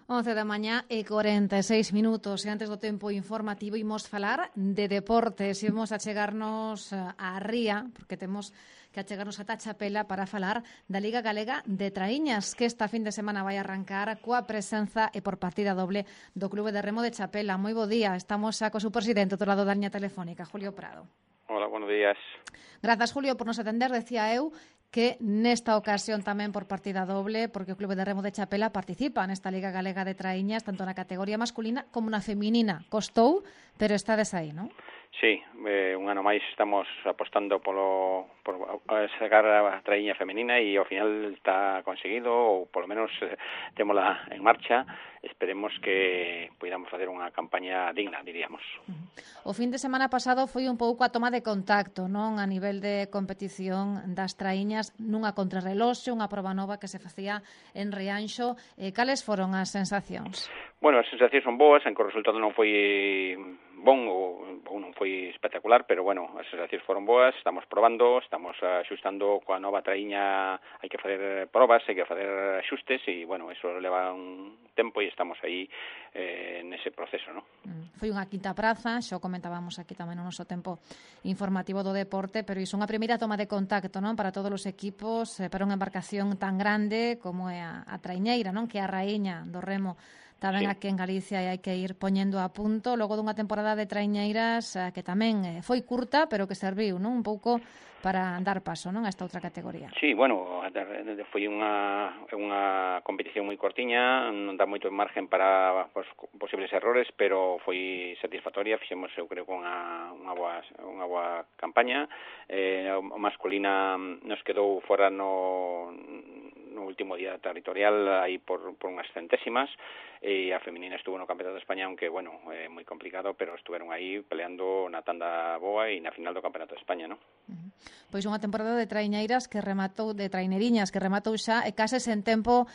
11 da mañá e 46 minutos. E antes do tempo informativo imos falar de deportes. Imos achegarnos á ría, porque temos que achegarnos ata Chapela para falar da Liga Galega de Traíñas, que esta fin de semana vai arrancar coa presenza e por partida doble do Clube de Remo de Chapela. Moi bo día, estamos xa co seu presidente do lado da liña telefónica, Julio Prado. Hola, buenos días. Grazas, Julio, por nos atender. Decía eu que nesta ocasión tamén por partida doble, porque o Clube de Remo de Chapela participa nesta Liga Galega de Traíñas, tanto na categoría masculina como na feminina. Costou, pero estades aí, non? Sí, un ano máis estamos apostando por sacar a traíña femenina e ao final está conseguido, ou polo menos témola en marcha. Esperemos que podamos facer unha campaña digna, diríamos. O fin de semana pasado foi un pouco a toma de contacto, non, a nivel de competición das traíñas nunha contrarreloxe, unha proba nova que se facía en Rianxo. Cales foron as sensacións? Bueno, as sensacións son boas, en que o resultado non foi bon ou non foi espectacular, pero bueno, as sensacións foron boas, estamos probando, estamos axustando coa nova traíña, hai que facer probas, hai que facer axustes e, bueno, eso leva un tempo e estamos aí nese proceso, non? Foi unha quinta praza, xo comentábamos aquí tamén no noso tempo informativo do deporte, pero iso unha primeira toma de contacto, non, para todos os equipos, para unha embarcación tan grande como é a traiñeira, non, que é a raíña do remo tamén aquí en Galicia e hai que ir poñendo a punto logo dunha temporada de traiñeiras que tamén foi curta, pero que serviu, non, un pouco para dar paso, non, a esta outra categoría. Sí, bueno, foi unha competición moi cortiña, non dá moito margen para posibles errores, pero foi satisfactoria, fixemos, eu creo, con unha boa campaña. A masculina nos quedou fora no último día territorial aí por unhas centésimas, e a feminina estuvo no Campeonato de España, aunque, bueno, moi complicado, pero estuveron aí peleando na tanda boa e na final do Campeonato de España, non? Pois unha temporada de traineiras que rematou, de traineriñas que rematou xa e case sen tempo,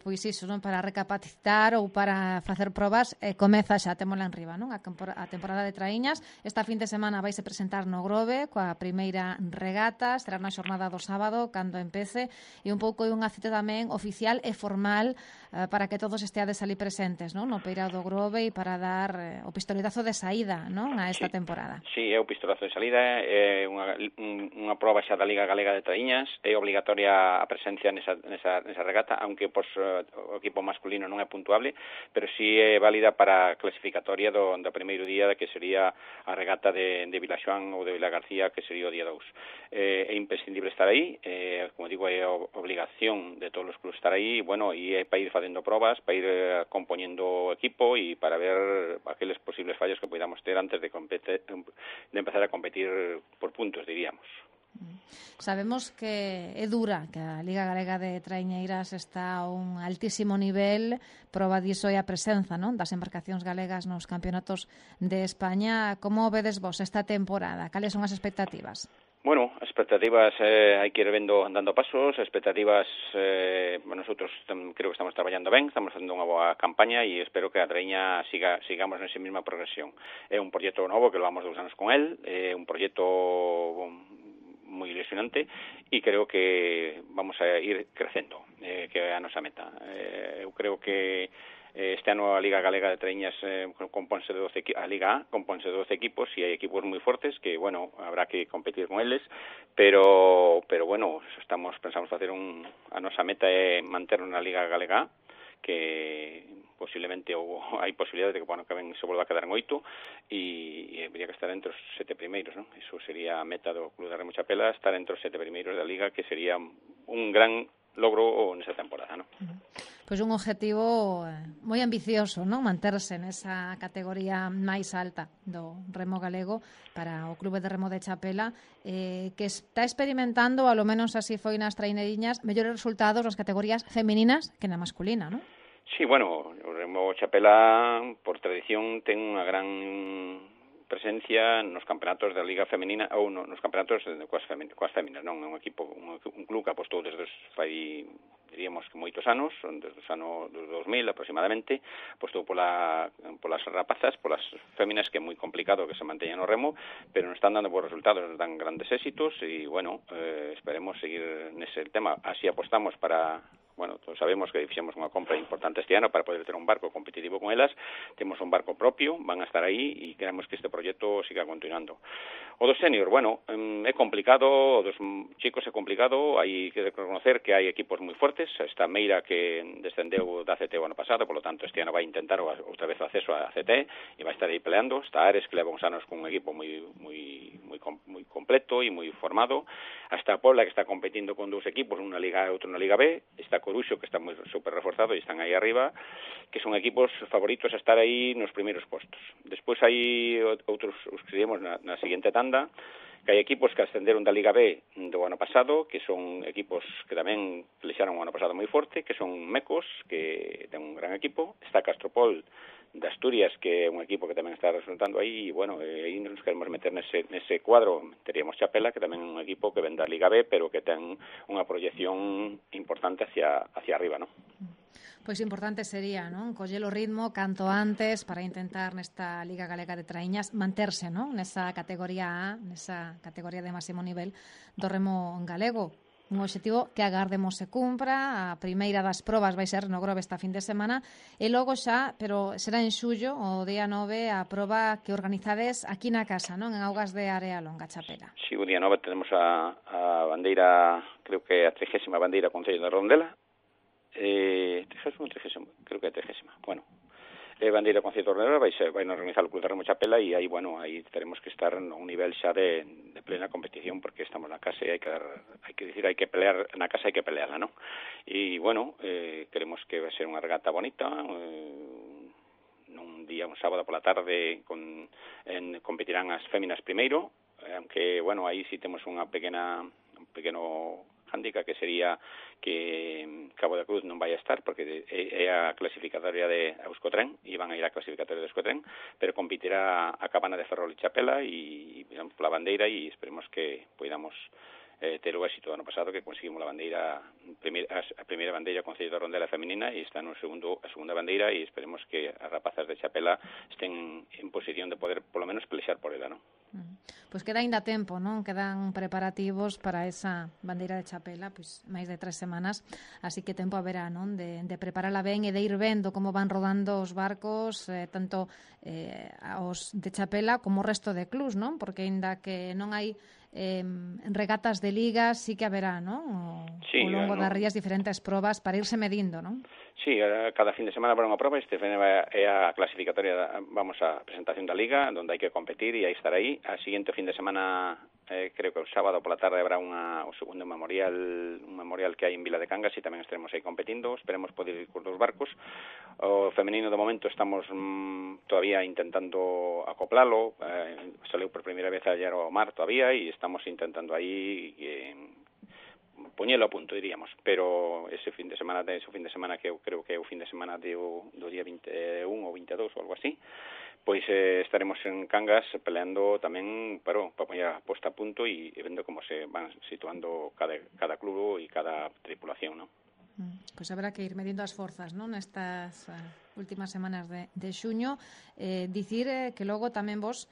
pois iso, non, para recapacitar ou para facer probas, comeza xa, témola en riba, non? A temporada de traíñas, esta fin de semana vaise presentar no Grove coa primeira regata, será na xornada do sábado cando empece, e un pouco é unha cita tamén oficial e formal para que todos esteades ali presentes, non, no Peirao do Grove e para dar o pistoletazo de saída, non, a esta temporada. Sí, é o pistolazo de saída, é unha proba xa da Liga Galega de Traíñas, é obligatoria a presencia nesa regata, aunque o equipo masculino non é puntuable, pero sí é válida para a clasificatoria do primeiro día, que sería a regata de Vilaxoán ou de Vila García, que sería o día 2. É imprescindible estar aí, como digo, é obligación de todos os clubes estar aí, bueno, e é para ir facendo probas, para ir compoñendo o equipo e para ver aqueles posibles fallos que podamos ter antes de empezar a competir por puntos, diríamos. Sabemos que é dura, que a Liga Galega de Traiñeiras está a un altísimo nivel, proba diso é a presenza, non, das embarcacións galegas nos campeonatos de España. Como vedes vos esta temporada? Cales son as expectativas? Bueno, as expectativas hai que ir dando pasos, as expectativas nosotros creo que estamos traballando ben, estamos facendo unha boa campaña e espero que a Traíña sigamos nesa mesma progresión. É un proxecto novo que levamos 2 anos con el, é un proxecto moi ilusionante e creo que vamos a ir crecendo, que é a nosa meta. Eu creo que este ano a Liga Galega de Traíñas compónse de 12 a Liga A compónse de 12 equipos e hai equipos moi fortes que, bueno, habrá que competir con eles, pero bueno, pensamos facer a nosa meta é manter na Liga Galega A, que posiblemente hai posibilidade de que se volva a quedar en 8 e habría que estar entre os 7 primeiros, non? Iso sería a meta do Club de Remo Chapela, estar entre os 7 primeiros da Liga, que sería un gran logro nesa temporada, non? Pois un objetivo moi ambicioso, non? Manterse nesa categoría máis alta do remo galego para o Clube de Remo de Chapela, que está experimentando, ao menos así foi nas traineriñas, mellores resultados nas categorías femininas que na masculina, non? Sí, bueno, o Remo Chapela, por tradición, ten unha gran presencia nos campeonatos da Liga Femenina ou nos campeonatos coas féminas, non? É un club que apostou desde diríamos que moitos anos, desde os anos 2000 aproximadamente, apostou polas rapazas, polas féminas, que é moi complicado que se manteñan no remo, pero non están dando bons resultados, nos dan grandes éxitos e, bueno, esperemos seguir nese tema. Así apostamos para bueno, todos sabemos que fixemos unha compra importante este ano para poder ter un barco competitivo con elas. Temos un barco propio, van a estar aí e queremos que este proxecto siga continuando. O do senior, bueno, é complicado, o dos chicos é complicado, hai que reconocer que hai equipos moi fuertes. Esta Meira que descendeu da CT o ano pasado, por lo tanto este ano vai intentar outra vez o acceso a CT e vai estar aí peleando. Está Ares, que leva uns anos con un equipo moi completo e moi formado. Hasta Puebla, que está competindo con dous equipos, unha Liga e outro na Liga B. Está Coruxo, que está moi super reforzado e están aí arriba, que son equipos favoritos a estar aí nos primeiros postos. Despois hai outros, os que diremos na seguinte tanda, que hai equipos que ascenderon da Liga B do ano pasado, que son equipos que tamén flexaron o ano pasado moi forte, que son Mecos, que ten un gran equipo. Está Castropol de Asturias, que é un equipo que tamén está resultando aí, e, bueno, aí nos queremos meter nese cuadro. Teríamos Chapela, que tamén é un equipo que ven da Liga B, pero que ten unha proyección importante hacia arriba, non? Pois importante sería, non? Coller o ritmo canto antes para intentar nesta Liga Galega de Traíñas manterse, non? Nesa categoría A, nesa categoría de máximo nivel do remo galego. Un obxectivo que agardemos se cumpra. A primeira das probas vai ser no Grove esta fin de semana e logo xa, pero será en xullo, o día 9, a proba que organizades aquí na casa, non? En Augas de Area Longa, Chapela. Sí, o día 9 tenemos a bandeira, creo que a 30ª bandeira Concello de Rondela. 30ª, creo que é 30ª. Bueno, bandeira Concello de Rondela vai nos organizar o Club de Remo Chapela e aí, bueno, aí teremos que estar a un nivel xa de plena competición, porque estamos na casa e hai que pelear na casa, hai que pelearla, ¿no? E, bueno, queremos que vai ser unha regata bonita, un sábado pola tarde competirán as féminas primeiro, aunque, bueno, aí sí temos un pequeno handicap, que sería que Cabo da Cruz non vai a estar porque é a clasificatoria de Euskotren e van a ir a clasificatoria de Euskotren, pero competirá a Cabana de Ferrol e Chapela e pola bandeira, e esperemos que podamos ter o éxito do ano pasado, que conseguimos a primeira bandeira Concello de Rondela feminina, e está a segunda bandeira, e esperemos que as rapazas de Chapela estén en posición de poder polo menos pelexar por ela, non? Pois queda ainda tempo, non? Quedan preparativos para esa bandeira de Chapela, pois máis de 3 semanas, así que tempo haberá, non? De preparala ben e de ir vendo como van rodando os barcos, tanto os de Chapela como o resto de clubs, non? Porque aínda que non hai regatas de ligas, sí que haberá, non? Sí, ao longo das rías diferentes probas para irse medindo, non? Sí, cada fin de semana habrá unha proba. Este fin é a clasificatoria, vamos a presentación da Liga, onde hai que competir e hai estar aí. A seguinte fin de semana, creo que o sábado pola tarde habrá o segundo memorial que hai en Vila de Cangas, e tamén estaremos aí competindo. Esperemos poder ir cos dos barcos. O femenino, de momento, estamos todavía intentando acoplalo. Saleu por primeira vez ayer ao mar todavía, e estamos intentando aí poñelo a punto, diríamos, pero ese fin de semana que eu creo que é o fin de semana do día 21 ou 22 ou algo así, pois estaremos en Cangas peleando tamén para poñer a posta a punto e vendo como se van situando cada club e cada tripulación, non? Pois haberá que ir medindo as forzas, non? Nestas últimas semanas de xuño. Dicir que logo tamén vos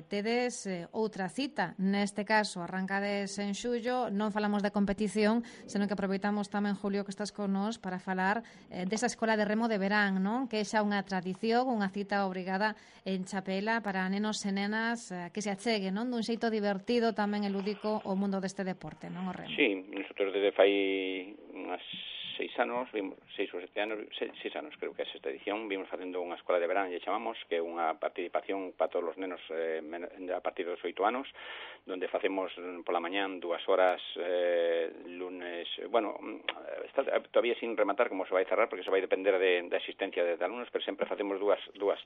tedes outra cita. Neste caso, arrancades en xullo, non falamos de competición, senón que aproveitamos tamén, Julio, que estás con nós para falar desa escola de remo de verán, non? Que é xa unha tradición, unha cita obrigada en Chapela para nenos e nenas que se acheguen, non? Dun xeito divertido tamén e lúdico o mundo deste deporte, non, o remo? Sí, nosotros desde fai unhas 6 anos, 6 ou 7 anos, 6 anos creo que é esta edición, vimos facendo unha escola de verán, lle chamamos, que é unha participación para todos os nenos a partir dos 8 anos, donde facemos pola mañán 2 horas lunes, bueno, está todavía sin rematar como se vai cerrar, porque se vai depender da existencia de alumnos, pero sempre facemos dúas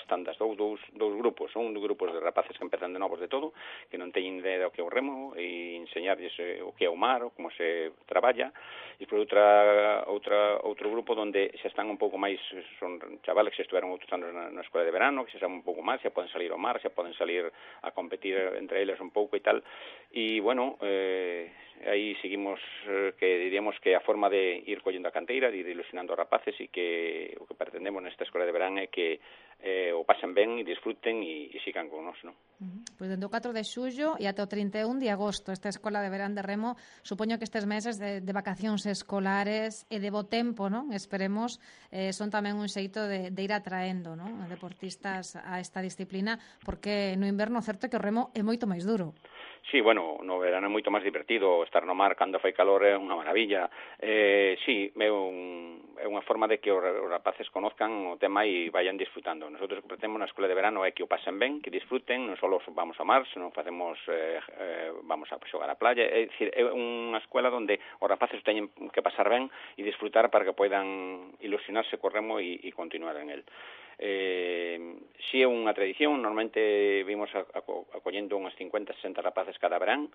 tandas, dous grupos, un grupos de rapaces que empezan de novos de todo, que non teñen idea do que é o remo, e enseñarlles o que é o mar, ou como se traballa, e por outro grupo onde xa están un pouco máis, son chavales que xa estuveron outros anos na escola de verano, que xa saben un pouco máis, xa poden salir ao mar, xa poden salir a competir entre eles un pouco e tal, e bueno, aí seguimos que diríamos que a forma de ir collendo a canteira, de ir ilusionando a rapaces, e que o que pretendemos nesta escola de verán é que o pasen ben e disfruten e sigan con nós, non? Pois dende o 4 de xullo e ate o 31 de agosto esta Escola de Verán de Remo, supoño que estes meses de vacacións escolares e de bo tempo, non? Esperemos, son tamén un xeito de ir atraendo, non? A deportistas a esta disciplina, porque no inverno certo é que o remo é moito máis duro. Sí, bueno, no verano é moito máis divertido, estar no mar cando fai calor é unha maravilla. Sí, é unha forma de que os rapaces conozcan o tema e vayan disfrutando. Nosotros o que pretendemos na escola de verano é que o pasen ben, que disfruten, non só vamos ao mar, senón vamos a xogar á playa. É dicir, é unha escola onde os rapaces teñen que pasar ben e disfrutar para que poidan ilusionarse co remo e continuar en el. Si é unha tradición, normalmente vimos acollendo unhas 50-60 rapaces cada verán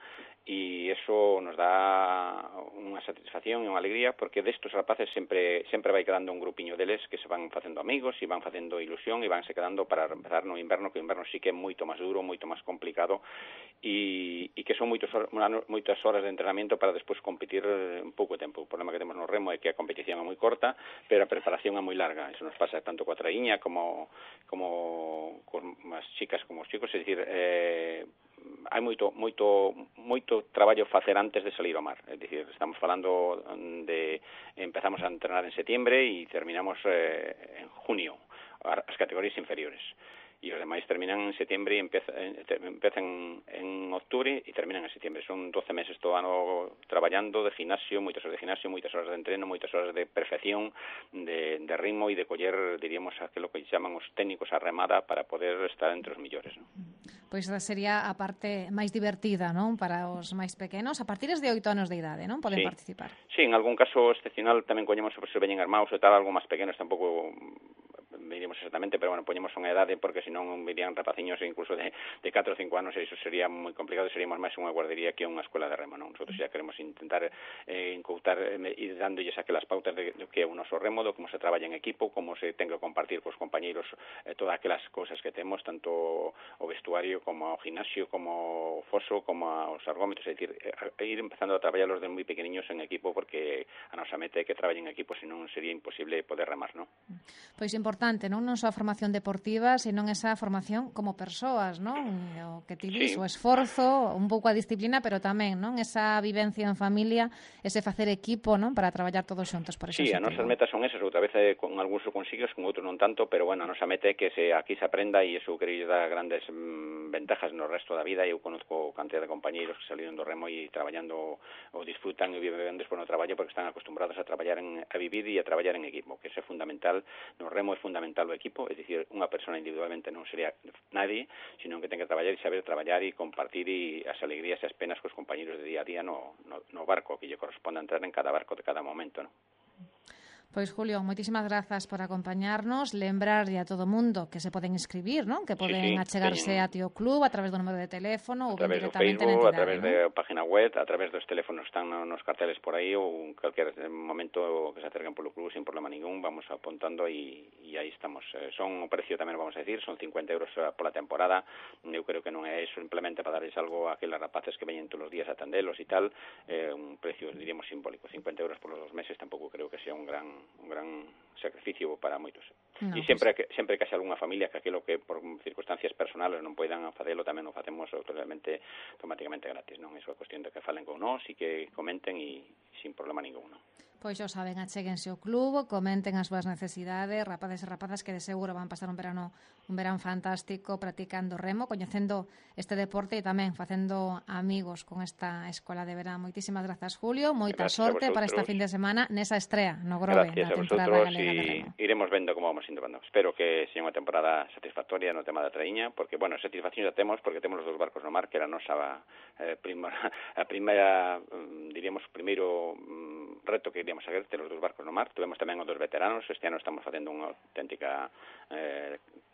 e eso nos dá unha satisfacción e unha alegría porque destos rapaces sempre vai quedando un grupiño deles que se van facendo amigos e van facendo ilusión e vanse quedando para empezar no inverno, que o inverno sí que é moito máis duro, moito máis complicado e que son moitas horas de entrenamiento para despois competir en pouco tempo. O problema que temos no remo é que a competición é moi corta, pero a preparación é moi larga. Eso nos pasa tanto coa traíña como con as chicas como os chicos, é dicir, hai moito traballo facer antes de salir ao mar. É dicir, estamos falando de empezamos a entrenar en setiembre e terminamos en junio, as categorías inferiores. E os demais terminan en setiembre e empezan en octubre e terminan en setiembre. Son 12 meses todo ano traballando de gimnasio, moitas horas de gimnasio, moitas horas de entreno, moitas horas de perfección, de ritmo e de coller, diríamos, aquilo que chaman os técnicos a remada para poder estar entre os millores, non? Pois esa sería a parte máis divertida, non? Para os máis pequenos, a partir de 8 anos de idade, non? Poden participar. Sí, en algún caso excepcional tamén coñemos se veñen armados e tal, algo máis pequenos tampouco diríamos exactamente, pero bueno, poñemos unha edade porque senón virían rapaciños incluso de 4 ou 5 anos e iso sería moi complicado, seríamos máis unha guardería que unha escola de remo, non? Nosotros xa queremos intentar incautar e dándolles aquelas pautas de que é o noso remo, de como se traballa en equipo, como se ten que compartir cos compañeiros todas aquelas cousas que temos, tanto o vestuario como o gimnasio, como o foso, como os argómetros, é dicir, ir empezando a traballar los de moi pequeniños en equipo porque a nosa meta é que traballen en equipo, senón sería imposible poder remar, non? Pois importante, non só a formación deportiva, senón esa formación como persoas, non? O que ti dis, o esforzo, un pouco a disciplina, pero tamén, non? Esa vivencia en familia, ese facer equipo, non? Para traballar todos xuntos por ese objetivo. Sí, as nosas metas son esas, outra vez con algúns o consigues, con outros non tanto, pero bueno, a nosa meta é que aquí se aprenda e iso quería dar grandes ventajas no resto da vida. Eu conozco cantidad de compañeiros que saliron do remo e traballando ou disfrutan e viven despois no traballo porque están acostumbrados a traballar a vivir e a traballar en equipo, que eso é fundamental. No remo é fundamental o equipo, é dicir, unha persona individualmente non sería nadie, sino que ten que traballar e saber traballar e compartir as alegrías e as penas cos compañeros de día a día no barco que lle corresponde entrar en cada barco de cada momento, non? Pois, Julio, moitísimas grazas por acompañarnos, lembrarlle a todo o mundo que se poden inscribir, non? Que poden achegarse a Tío Club a través do número de teléfono ou directamente na entidade, a través da página web, a través dos teléfonos están nos carteles por aí ou en calquer momento que se acerquen polo club sin problema ningún, vamos apuntando e aí estamos. Son o precio tamén vamos a decir, son 50 euros pola temporada. Eu creo que non é simplemente para darles algo a aqueles rapaces que veñen todos os días a atendelos e tal, un precio, diríamos, simbólico. 50 euros por los 2 meses tampouco creo que sea un gran sacrificio para moitos. E sempre que haxe algunha familia que aquilo que por circunstancias personales non poidan facelo, tamén o facemos totalmente automáticamente gratis, non? Iso é cuestión de que falen con nós e que comenten e sin problema ningún, non? Pois xa saben, achéguense ao club, comenten as súas necesidades, rapaces e rapazas que de seguro van pasar un verán fantástico practicando remo, coñecendo este deporte e tamén facendo amigos con esta escola de verán. Moitísimas grazas, Julio, moita sorte para esta fin de semana nesa estrea no Grove, na temporada galega de remo. Iremos vendo como vamos indo. Espero que sea unha temporada satisfactoria no tema da traíña, porque, bueno, satisfacción já temos, porque temos os 2 barcos no mar, que era a nosa primeira, diríamos, primeiro reto que iríamos a ver, ter os 2 barcos no mar. Tuvemos tamén os 2 veteranos, este ano estamos facendo unha auténtica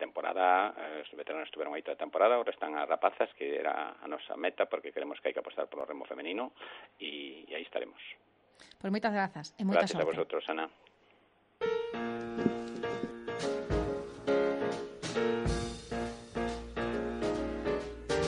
temporada, os veteranos estuveron aí toda a temporada, ahora están as rapazas, que era a nosa meta, porque queremos que hai que apostar polo remo femenino, e aí estaremos. Pois moitas grazas e moita sorte. Gracias a vosotros, Ana.